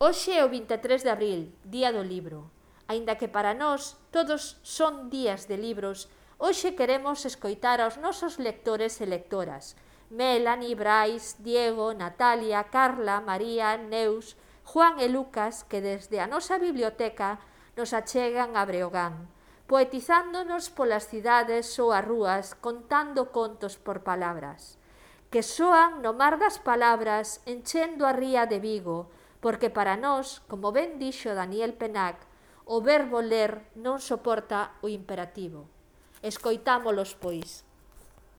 Hoxe é o 23 de abril, día do libro. Aínda que para nós todos son días de libros, hoxe queremos escoitar aos nosos lectores e lectoras. Melanie, Brais, Diego, Natalia, Carla, María, Neus, Juan e Lucas, que desde a nosa biblioteca nos achegan a Breogán, poetizándonos polas cidades ou as rúas, contando contos por palabras, que soan no mar das palabras, enchendo a ría de Vigo, porque para nós, como ben dixo Daniel Penac, o verbo ler non soporta o imperativo. Escoitámolos, pois.